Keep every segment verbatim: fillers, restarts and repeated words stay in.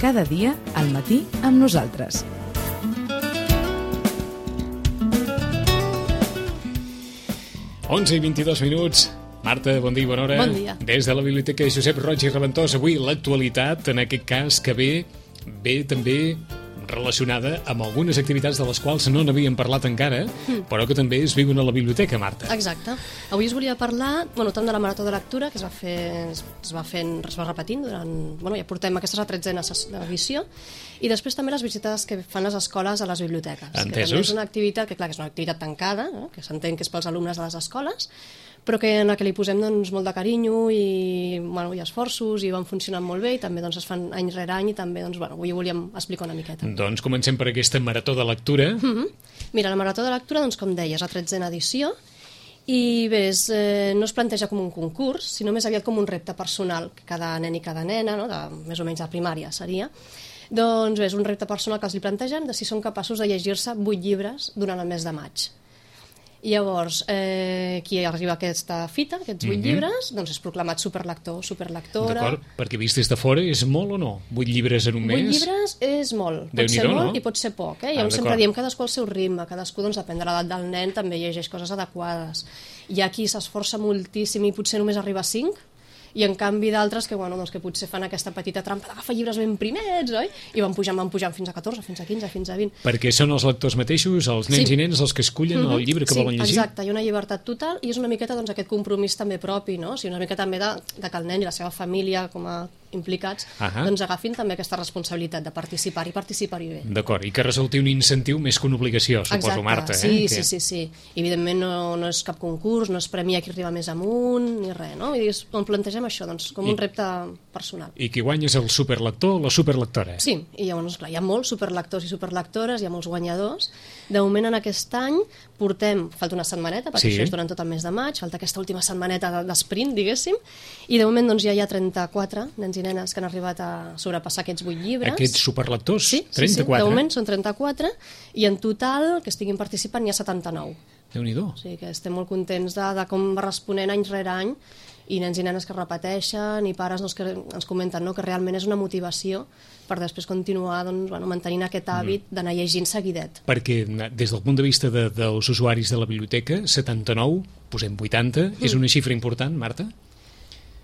Cada dia, al matí, amb nosaltres. onze i vint-i-dos minuts. Marta, bon dia i bona hora. Bon dia. Des de la Biblioteca Josep Roig i Reventós, avui l'actualitat, en aquest cas, que ve, ve també relacionada amb algunes activitats de les quals no n'havíem parlat encara, mm. però que també es viuen a la biblioteca, Marta. Exacte. Avui us volia parlar, bueno, tant de la Marató de Lectura, que es va fer, es va fent, es va repetint durant, bueno, ja portem aquesta és la tretzena edició, i després també les visites que fan les escoles a les biblioteques. Entesos. Que també és una activitat, que clar, que és una activitat tancada, no? Que s'entén que és pels alumnes de les escoles, però que en la que li posem doncs, molt de carinyo i, bueno, i esforços, i van funcionant molt bé, i també doncs, es fan any rere any, i també doncs, bueno, avui ho volíem explicar una miqueta. Doncs comencem per aquesta marató de lectura. Mm-hmm. Mira, la Marató de Lectura, doncs, com deies, la tretzena edició, i bé, és, eh, no es planteja com un concurs, sinó més aviat com un repte personal, que cada nen i cada nena, no, de, més o menys de primària seria, doncs bé, és un repte personal que els li plantegen de si són capaços de llegir-se vuit llibres durant el mes de maig. I llavors, eh, qui arriba a aquesta fita, aquests vuit mm-hmm. llibres, doncs és proclamat superlector, superlectora. D'acord, perquè vist des de fora és molt o no? Vuit llibres en un mes? Vuit llibres és molt. Pot ser molt, no? I pot ser poc. Eh? I llavors ah, sempre diem cadascú al seu ritme, cadascú, doncs, depèn de l'edat del nen, també llegeix coses adequades. Hi ha qui s'esforça moltíssim i potser només arriba a cinc, i en canvi d'altres que, bueno, doncs, que potser fan aquesta petita trampa d'agafar llibres ben primers, oi? I van pujant, van pujant fins a catorze, fins a quinze, fins a vint. Perquè són els lectors mateixos, els nens sí. i nenes, els que escullen mm-hmm. el llibre que sí, volen llegir? Exacte, hi ha una llibertat total i és una miqueta doncs, aquest compromís també propi, no? O sigui, una mica també de, de que el nen i la seva família com a implicats, uh-huh. doncs agafin també aquesta responsabilitat de participar i participar-hi bé. D'acord, i que resulti un incentiu més que una obligació, suposo, exacte. Marta. Sí, eh? sí, sí, sí. I evidentment no, no és cap concurs, no es premia qui arriba més amunt, ni res, no? I on plantegem això, doncs, com I, un repte personal. I qui guanya és el superlector o la superlectora? Sí, i llavors, clar, hi ha molts superlectors i superlectores, hi ha molts guanyadors. De moment, en aquest any, portem, falta una setmaneta, perquè sí. Això és durant tot el mes de maig, falta aquesta última setmaneta d'esprint, diguéssim, i de moment doncs, ja hi ha trenta-quatre nens i nenes que han arribat a sobrepassar aquests vuit llibres. Aquests superlectors? Sí, trenta-quatre. Sí, sí, de moment són trenta-quatre, i en total, que estiguin participant, hi ha setanta-nou. Déu-n'hi-do. O sigui que estem molt contents de, de com va responent any rere any, i nens i nenes que repeteixen, i pares doncs, que ens comenten, no?, que realment és una motivació per després continuar doncs, bueno, mantenint aquest hàbit mm. d'anar llegint seguidet. Perquè des del punt de vista de, dels usuaris de la biblioteca, setanta-nou, posem vuitanta, mm. és una xifra important, Marta?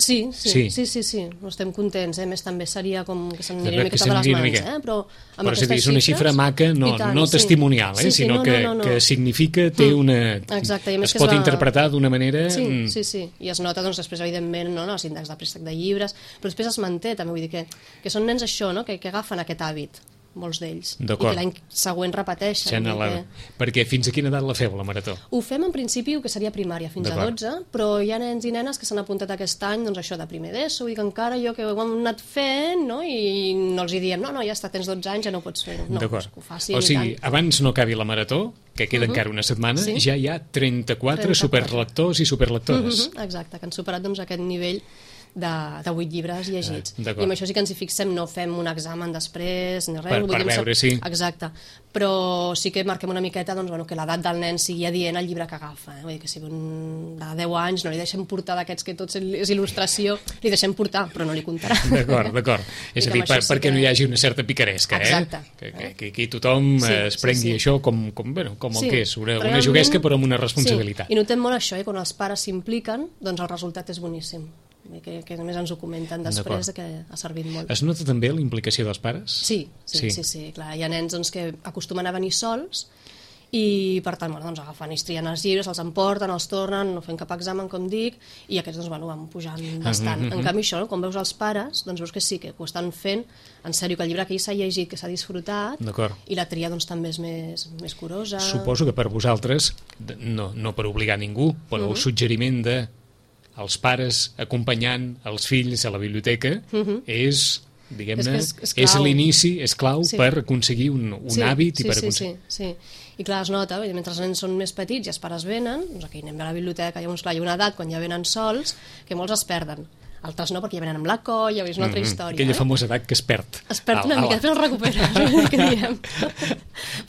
Sí, sí, sí, sí, sí, sí. Estem contents, eh? A més també seria com que se'm aniria una miqueta de les mans, eh? Però amb Però és una xifra maca, no, tant, no testimonial, sí. eh? Sí, sí, sinó no, que, no, no, no. que significa, té una... Exacte, i a més es que pot es va... interpretar d'una manera... Sí, sí, sí, i es nota doncs, després, evidentment, no, no, els índexs de préstec de llibres, però després es manté, també vull dir que, que són nens això, no? que, que agafen aquest hàbit, molts d'ells, i que l'any següent repeteixen. La... Que... Perquè fins a quina edat la feu, la marató? Ho fem en principi que seria primària, fins a dotze, però hi ha nens i nenes que s'han apuntat aquest any, doncs això de primer d'ESO, i que encara jo que ho hem anat fent, no? I no els hi diem, no, no, ja està, tens dotze anys, ja no pots fer-ho. No, que ho facin, o sigui, abans no acabi la marató, que queda uh-huh. encara una setmana, sí? Ja hi ha trenta-quatre, trenta-quatre superlectors i superlectores. Uh-huh. Exacte, que han superat doncs, aquest nivell de, de vuit llibres llegits. Ah, I amb això sí que ens hi fixem, no fem un examen després ni res. Per, per veure, sí. Exacte. Però sí que marquem una miqueta doncs, bueno, que l'edat del nen sigui adient al llibre que agafa. Eh? Vull dir que sigui un de deu anys, no li deixem portar d'aquests que tots és il·lustració, li deixem portar, però no li comptarà. D'acord, d'acord. És a dir, per, sí perquè que... no hi hagi una certa picaresca, eh? Exacte. Que, que, que aquí tothom sí, es prengui sí, sí. això com, com, bueno, com el sí, que és, una, una juguesca però amb una responsabilitat. Sí. I notem molt això, eh? Quan els pares s'impliquen, doncs el resultat és boníssim. Que, que a més ens ho comenten després que ha servit molt. Es nota també la implicació dels pares? Sí, sí, sí, sí, sí clar. Hi ha nens doncs, que acostumen a venir sols i per tant bueno, doncs, agafen i trien els llibres, els emporten, els tornen, no fent cap examen com dic, i aquests doncs, bueno, van pujant bastant. Mm-hmm. En canvi això, no? Quan veus els pares doncs veus que sí, que ho estan fent en sèrio, que el llibre que ell s'ha llegit, que s'ha disfrutat, i la tria doncs, també és més, més curosa. Suposo que per vosaltres, no, no per obligar ningú, però mm-hmm. el suggeriment de els pares acompanyant els fills a la biblioteca uh-huh. és, diguem-ne, és, és, és l'inici, és clau sí. per aconseguir un, un sí, hàbit sí, i per sí, aconseguir... Sí, sí. I clar, es nota, mentre els nens són més petits i els pares venen, doncs aquí anem a la biblioteca, llavors clar, hi ha una edat quan ja venen sols que molts es perden. Altres no, perquè ja venen amb la colla, és una altra història. Mm-hmm. Aquella eh? famosa edat que es perd. Es perd una mica, després el recupera, que diem.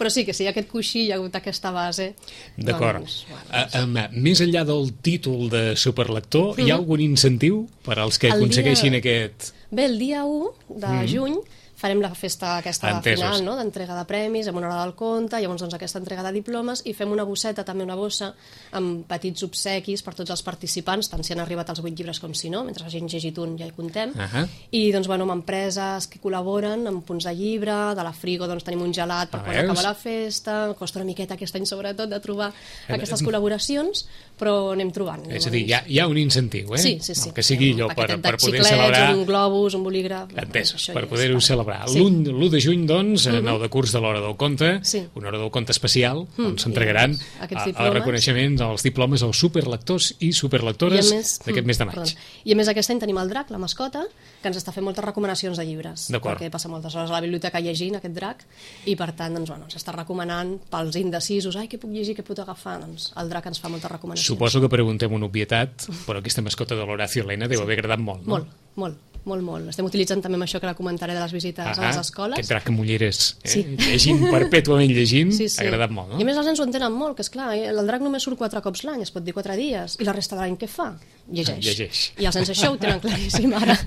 Però sí, que si hi ha aquest coixí, hi ha hagut aquesta base... D'acord. Doncs, bueno, doncs... Uh, um, més enllà del títol de superlector, mm-hmm. hi ha algun incentiu per als que el aconsegueixin dia... aquest... Bé, el dia u de mm-hmm. juny farem la festa aquesta Entesos. final, no?, d'entrega de premis, amb una hora del conte, llavors doncs, aquesta entrega de diplomes, i fem una bosseta, també una bossa, amb petits obsequis per tots els participants, tant si han arribat als vuit llibres com si no, mentre hagin llegit un ja hi contem, uh -huh. i doncs, bueno, amb empreses que col·laboren, amb punts de llibre, de la Frigo doncs, tenim un gelat per quan acaba la festa, costa una miqueta aquest any sobretot de trobar aquestes col·laboracions, però anem trobant. És a dir, hi ha, hi ha un incentiu, eh? Sí, sí, sí. No, que sigui allò per, per poder celebrar... un globus, un bolígraf... Entesos, per poder-ho celebrar. Sí. L'u de juny, doncs, uh-huh. nou de curs de l'Hora del Conte, sí. una Hora del Conte especial, mm. on s'entregaran els reconeixements, els diplomes als superlectors i superlectores d'aquest mes de maig. Perdó. I a més aquest any tenim el drac, la mascota, que ens està fent moltes recomanacions de llibres, perquè passa moltes hores a la biblioteca llegint aquest drac, i per tant doncs, bueno, ens està recomanant pels indecisos, ai, què puc llegir, què puc agafar, doncs el drac ens fa moltes recomanacions. Suposo que preguntem una obvietat, però aquesta mascota de l'Horacio Elena deu haver agradat molt, no? Molt, molt. Molt, molt. Estem utilitzant també amb això que la comentaré de les visites ah, a les escoles. Aquest drac amb ulleres, eh? Sí. Llegint, perpètuament llegint, sí, sí. ha agradat molt, no? I a més els nens ho entenen molt, que és clar, el drac només surt quatre cops l'any, es pot dir quatre dies, i la resta de l'any què fa? Llegeix. Llegeix. I els nens això ho tenen claríssim ara.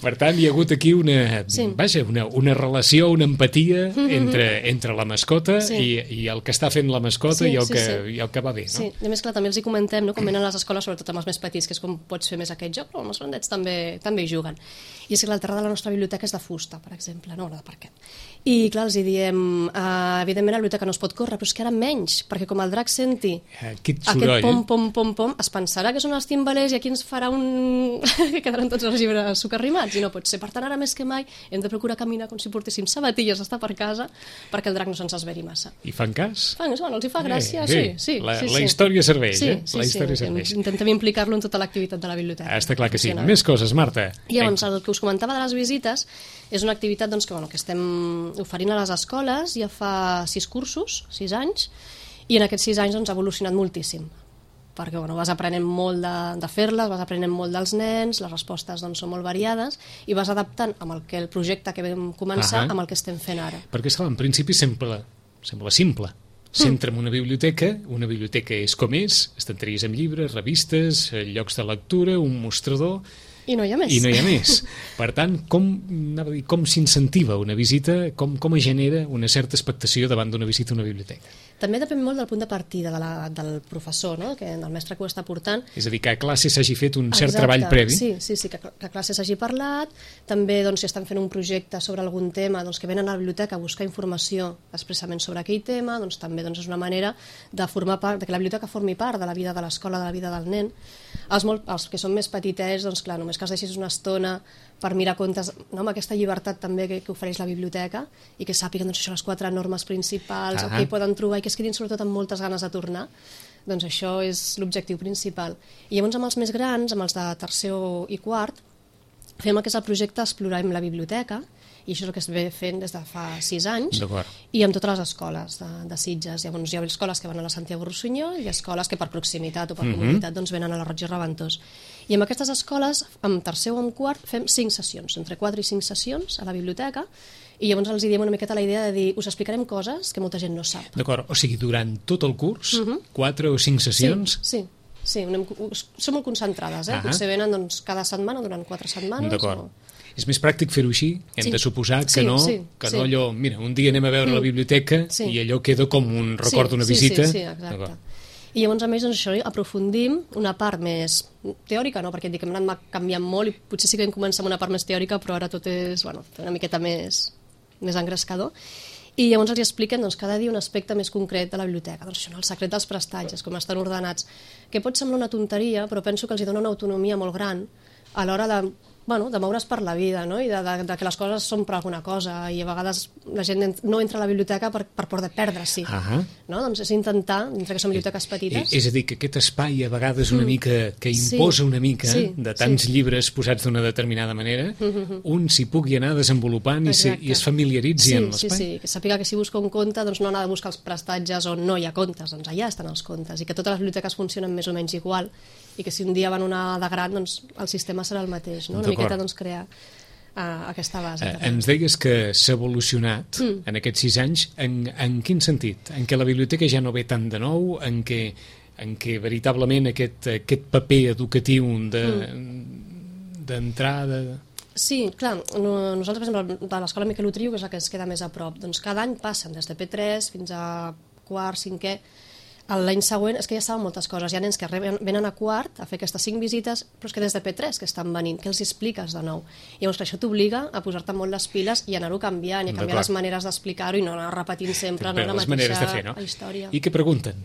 Per tant, hi ha hagut aquí una, sí. vaja, una, una relació, una empatia mm-hmm. entre, entre la mascota sí. i, i el que està fent la mascota sí, i, el sí, que, sí. i el que va bé, no? Sí, i a més, clar, també els hi comentem, no? Com venen a les escoles, sobretot amb els més petits, que és com pots fer més aquest joc, però els grandets també, també hi juguen. I és que el terrat de la nostra biblioteca és de fusta, per exemple, no, no de parquet. I clar, els hi diem, uh, evidentment la biblioteca no es pot córrer, però és que ara menys, perquè com el drac senti aquest, aquest pom, pom, pom, pom, es pensarà que són els timbalers i aquí ens farà un... que quedaran tots els llibres socarrimats, i no pot ser. Per tant, ara més que mai hem de procurar caminar com si portéssim sabatilles a estar per casa perquè el drac no se'ns esveri massa. I fan cas? Fan, bueno, els hi fa gràcia, eh, sí, sí. La, sí, la sí. història serveix, sí, eh? Sí, la història sí, serveix. Intentem implicar-lo en tota l'activitat de la biblioteca. Està clar que sí. Més coses, Marta. I llavors, el que us comentava de les visites és una activitat doncs, que, bueno, que estem oferint a les escoles ja fa sis cursos, sis anys, i en aquests sis anys doncs, ha evolucionat moltíssim, perquè bueno, vas aprenent molt de, de fer-les, vas aprenent molt dels nens, les respostes doncs, són molt variades, i vas adaptant amb el, que, el projecte que vam començar uh -huh. amb el que estem fent ara. Perquè, esclar, en principi sembla, sembla simple. S'entra en una biblioteca, una biblioteca és com és, estanteries amb llibres, revistes, llocs de lectura, un mostrador... I no hi ha més. I no hi ha més. Per tant, com, com s'incentiva una visita, com, com es genera una certa expectació davant d'una visita a una biblioteca? També depèn molt del punt de partida de la, del professor, no? Que, del mestre que ho està portant. És a dir, que a classe s'hagi fet un cert Exacte. treball previ. Sí, sí, sí, que, que a classe s'hagi parlat. També, doncs, si estan fent un projecte sobre algun tema, doncs, que venen a la biblioteca a buscar informació expressament sobre aquell tema, doncs també doncs, és una manera de formar part, de que la biblioteca formi part de la vida de l'escola, de la vida del nen. Els, molt, els que són més petitets, doncs clar, només que els deixis una estona per mirar contes, no, amb aquesta llibertat també que, que ofereix la biblioteca, i que sàpiguen doncs, això, les quatre normes principals, ah, el que hi poden trobar, i que es quedin sobretot amb moltes ganes de tornar, doncs això és l'objectiu principal. I llavors amb els més grans, amb els de tercer i quart, fem el que és el projecte Explorem la biblioteca, i això és el que es ve fent des de fa sis anys, i amb totes les escoles de, de Sitges. Llavors hi ha escoles que van a la Santiago Rossinyol i escoles que per proximitat o per uh-huh. comunitat doncs, venen a la Roig i Reventós. I amb aquestes escoles, amb tercer o amb quart, fem cinc sessions, entre quatre i cinc sessions a la biblioteca, i llavors els diem una miqueta la idea de dir, us explicarem coses que molta gent no sap. D'acord, o sigui, durant tot el curs, uh-huh. quatre o cinc sessions... Sí, sí. Sí, anem, som molt concentrades, eh? Uh-huh. Potser venen doncs, cada setmana durant quatre setmanes. D'acord. O... És més pràctic fer-ho així? Hem sí. de suposar que sí, no, sí, que sí. no allò... Mira, un dia anem a veure mm. la biblioteca sí. i allò queda com un record d'una sí, visita. Sí, sí, sí, exacte. I llavors, a més, doncs, això, aprofundim una part més teòrica, no? Perquè dic, hem anat canviant molt i potser sí que vam començar amb una part més teòrica, però ara tot és bueno, una miqueta més, més engrescador. I llavors els expliquen doncs, cada dia un aspecte més concret de la biblioteca. Doncs això, el secret dels prestatges, com estan ordenats, que pot semblar una tonteria, però penso que els dona una autonomia molt gran a l'hora de, bueno, de moure's per la vida, no? I de, de, de que les coses són per alguna cosa, i a vegades la gent no entra a la biblioteca per, per por de perdre-s'hi. Uh-huh. No? Doncs és intentar, mentre que són biblioteques petites... És a dir, que aquest espai a vegades una mica, que imposa sí. una mica sí. de tants sí. llibres posats d'una determinada manera, uh-huh. un s'hi pugui anar desenvolupant i, se, i es familiaritzi sí, amb l'espai. Sí, sí, que sàpiga que si busca un conte doncs no ha de buscar els prestatges on no hi ha contes, doncs allà estan els contes, i que totes les biblioteques funcionen més o menys igual, i que si un dia van una de gran, doncs el sistema serà el mateix, no? Una miqueta doncs crear uh, aquesta base. Uh, ens deies que s'ha evolucionat mm. en aquests sis anys, en, en quin sentit? En què la biblioteca ja no ve tant de nou, en què, en què veritablement aquest, aquest paper educatiu de, mm. d'entrar, de, Sí, clar, no, nosaltres, per exemple, de l'escola Miquel Utriu, que és la que ens queda més a prop, doncs cada any passen des de P tres fins a quart, cinquè. L'any següent és que ja saben moltes coses. Hi ha nens que venen a quart a fer aquestes cinc visites, però és que des de P tres que estan venint, que els expliques de nou. I llavors això t'obliga a posar-te molt les piles i anar-ho canviant, i a canviar les maneres d'explicar-ho i no anar repetint sempre no, la mateixa de fer, no? història. I què pregunten?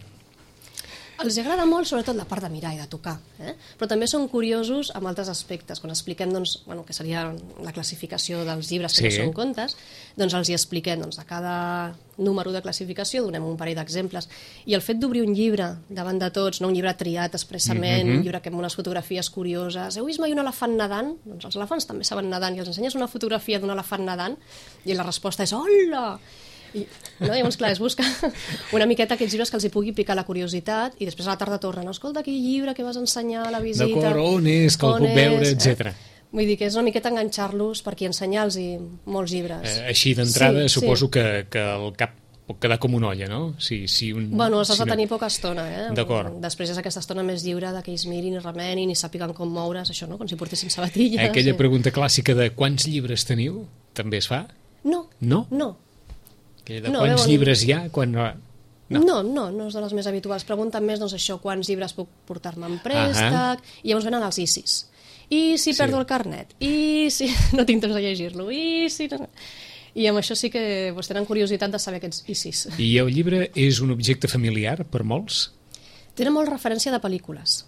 Els agrada molt, sobretot, la part de mirar i de tocar, eh? Però també són curiosos amb altres aspectes. Quan expliquem, doncs, bueno, que seria la classificació dels llibres que sí. no són contes, doncs els hi expliquem, doncs, de cada número de classificació donem un parell d'exemples. I el fet d'obrir un llibre davant de tots, no un llibre triat expressament, mm-hmm. un llibre que amb unes fotografies curioses, heu vist mai un elefant nedant? Doncs els elefants també saben nedant, i els ensenyes una fotografia d'un elefant nedant i la resposta és hola! I, no? Llavors, clar, es busca una miqueta aquests llibres que els hi pugui picar la curiositat i després a la tarda tornen, no? Escolta, aquell llibre que vas ensenyar a la visita... D'acord, on és, que el puc veure, etcètera. Eh? Vull dir que és una miqueta enganxar-los per aquí, ensenyar-los molts llibres. Eh, així d'entrada sí, suposo sí. Que, que el cap pot quedar com una olla, no? Si, si un, bueno, els has si de no... tenir poca estona, eh? D'acord. Després és aquesta estona més lliure de que ells mirin i remenin i sàpiguen com moure's, això, no? Com si portessin sabatilles. Aquella sí. pregunta clàssica de quants llibres teniu, també es fa? No. No? No. De no, quants veuen... llibres hi ha? Quan... No. no, no, no és de les més habituals. Pregunten més, doncs, això, quants llibres puc portar-me en préstec, uh-huh. i llavors venen els I C I S. I si sí. perdo el carnet? I si no tinc temps de llegir-lo? I si... I amb això sí que pues, tenen curiositat de saber aquests I C I S. I el llibre és un objecte familiar per molts? Tenen molt referència de pel·lícules.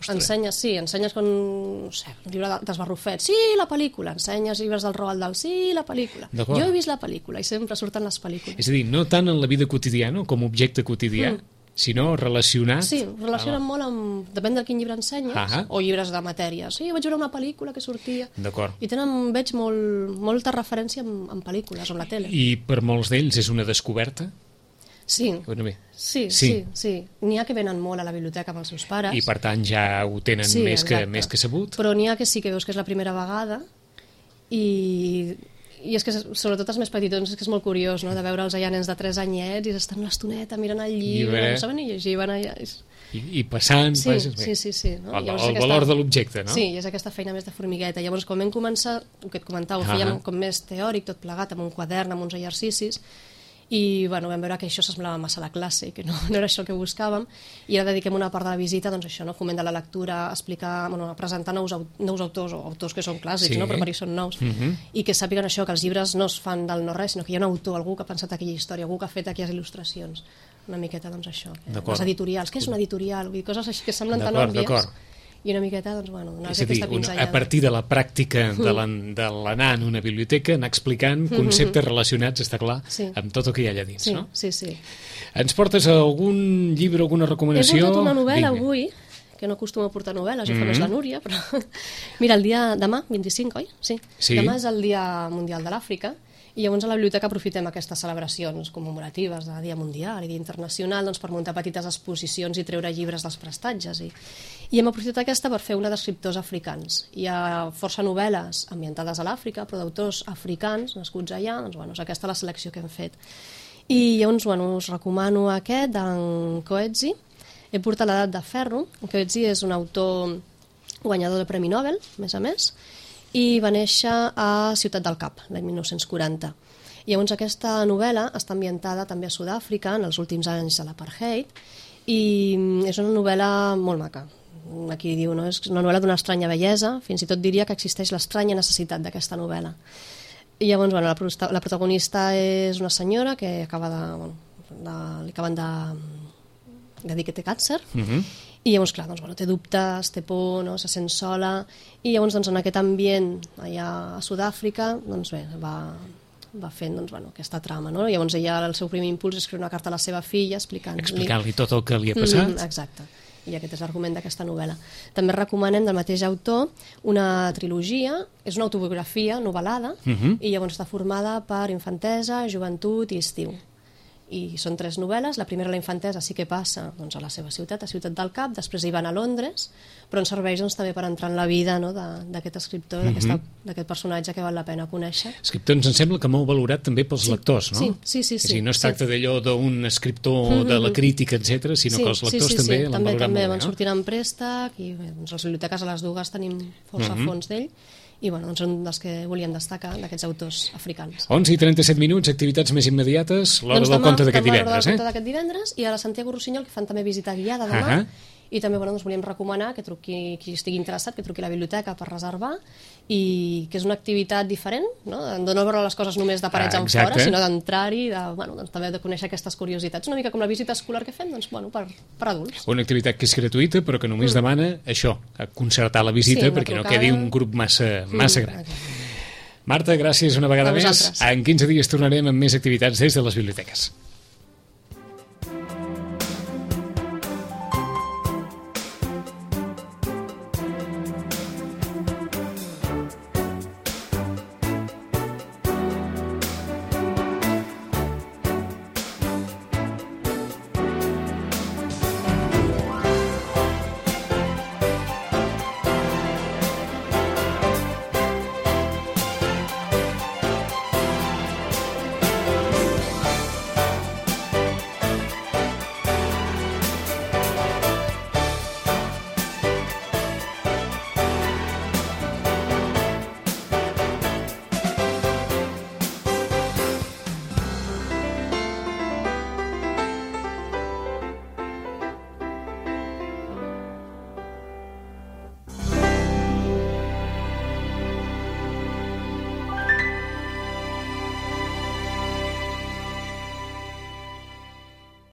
Ensenyes, sí, ensenyes com, no sé, un llibre d'Esbarrufet, sí, la pel·lícula, ensenyes llibres del Roald Dahl, sí, la pel·lícula. Jo he vist la pel·lícula i sempre surten les pel·lícules. És a dir, no tant en la vida quotidiana com a objecte quotidià, mm. sinó relacionat... Sí, relacionen ah. molt amb... Depèn de quin llibre ensenyes, ah o llibres de matèria. Sí, vaig veure una pel·lícula que sortia... D'acord. I tenen, veig, molt, molta referència en, en pel·lícules o en la tele. I per molts d'ells és una descoberta? Sí, bueno, bé. sí, sí, sí, sí. N'hi ha que venen molt a la biblioteca amb els seus pares. I per tant ja ho tenen sí, més, que, més que sabut. Però n'hi ha que sí que veus que és la primera vegada i, i és que sobretot els més petitons és que és molt curiós, no?, de veure'ls allà nens de tres anyets i estan una estoneta mirant el llibre, llibre. No saben ni llegir, van allà... I, i passant... Sí, passes, sí, sí, sí, no? El, el aquesta... valor de l'objecte, no? Sí, i és aquesta feina més de formigueta. Llavors, quan vam començar, el que et comentava, ho fèiem com més teòric, tot plegat, amb un quadern, amb uns exercicis, i bueno, vam veure que això s'assemblava massa a la classe i que no, no era això el que buscàvem, i ara dediquem una part de la visita, doncs això, no? Foment de la lectura, explicar, bueno, presentar nous, nous autors o autors que són clàssics, sí. no? Però per ells són nous, uh-huh. i que sàpiguen això, que els llibres no es fan del no-res, sinó que hi ha un autor, algú que ha pensat aquella història, algú que ha fet aquelles il·lustracions, una miqueta, doncs això, les editorials, què és una editorial? Vull dir, coses així que semblen tan òbvies. I una miqueta, doncs, bueno, donar-se aquesta pinzellada. A partir de la pràctica de l'anar en una biblioteca, anar explicant conceptes mm-hmm. relacionats, està clar, sí. amb tot el que hi ha allà dins, sí, no? Sí, sí. Ens portes algun llibre, alguna recomanació? He portat una novel·la Vinga. avui, que no acostumo a portar novel·les, mm-hmm. jo fa més la Núria, però... Mira, el dia demà, vint-i-cinc, oi? Sí. sí. Demà és el Dia Mundial de l'Àfrica, i llavors a la biblioteca aprofitem aquestes celebracions commemoratives de Dia Mundial i Dia Internacional, doncs, per muntar petites exposicions i treure llibres dels prestatges. I, i hem aprofitat aquesta per fer una d'escriptors africans. Hi ha força novel·les ambientades a l'Àfrica, però d'autors africans nascuts allà, doncs, bueno, és aquesta la selecció que hem fet. I llavors, bueno, us recomano aquest d'en Coetzee. He portat l'Edat de Ferro. Coetzee és un autor guanyador del Premi Nobel, més a més, i va néixer a Ciutat del Cap, l'any mil nou-cents quaranta. I llavors aquesta novel·la està ambientada també a Sud-àfrica, en els últims anys de l'apartheid, i és una novel·la molt maca. Aquí diu, no? És una novel·la d'una estranya bellesa, fins i tot diria que existeix l'estranya necessitat d'aquesta novel·la. I llavors, bueno, la, la protagonista és una senyora que acaba de... Bueno, de li acaben de, de dir que té càncer, uh-huh. I llavors, clar, doncs, bueno, té dubtes, té por, no? Se sent sola, i llavors doncs, en aquest ambient allà a Sud-àfrica doncs, bé, va, va fent doncs, bueno, aquesta trama. No? Llavors ella, el seu primer impuls és escriure una carta a la seva filla explicant-li... Explicant-li tot el que li ha passat. Mm, exacte, i aquest és l'argument d'aquesta novel·la. També recomanem del mateix autor una trilogia, és una autobiografia novel·lada, uh-huh. i llavors està formada per infantesa, joventut i estiu. I són tres novel·les. La primera, la infantesa, sí que passa doncs, a la seva ciutat, a Ciutat del Cap, després hi van a Londres, però ens serveix doncs, també per entrar en la vida, no, d'aquest escriptor, mm-hmm. d'aquest personatge que val la pena conèixer. Escriptor, ens sembla que molt valorat també pels sí, lectors, no? Sí, sí, sí. sí, sí no es tracta sí. d'allò d'un escriptor mm-hmm. de la crítica, etcètera, sinó sí, que els lectors sí, sí, també sí. l'han també, valorat també molt van bé, no? sortint en préstec, i bé, doncs, les biblioteques a les dues tenim força mm-hmm. fons d'ell, i bueno, doncs un dels que volíem destacar d'aquests autors africans. onze i trenta-set minuts, activitats més immediates, l'hora doncs del demà, conte d'aquest demà, divendres, eh? eh? L'hora del conte d'aquest divendres, i a la Santiago Rossinyol, que fan també visita guiada demà, uh -huh. i també bueno, doncs volíem recomanar que truqui, qui estigui interessat, que truqui a la biblioteca per reservar, i que és una activitat diferent, no? De no veure les coses només de parets ah, enfora, sinó d'entrar-hi, de, bueno, doncs, també de conèixer aquestes curiositats, una mica com la visita escolar que fem, doncs, bueno, per, per adults. Una activitat que és gratuïta, però que només mm. demana això, concertar la visita, sí, perquè trucada... no quedi un grup massa, massa mm, gran. Okay. Marta, gràcies una vegada més. En quinze dies tornarem amb més activitats des de les biblioteques.